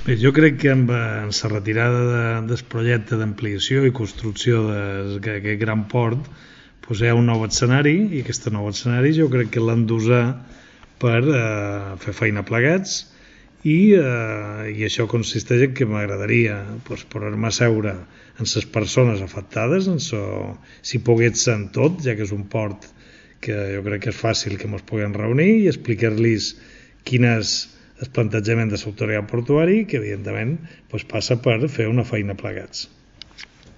Bé, jo crec que amb la retirada del projecte d'ampliació i construcció d'aquest gran port doncs hi ha un nou escenari, i aquest nou escenari jo crec que l'hem d'usar per fer feina plegats, i això consisteix en que m'agradaria poder-me asseure amb les persones afectades, si pogués ser en tot, ja que és un port que jo crec que és fàcil que ens puguem reunir i explicar-los quin és el plantejament de l'autoritat portuària, que evidentment passa per fer una feina plegats.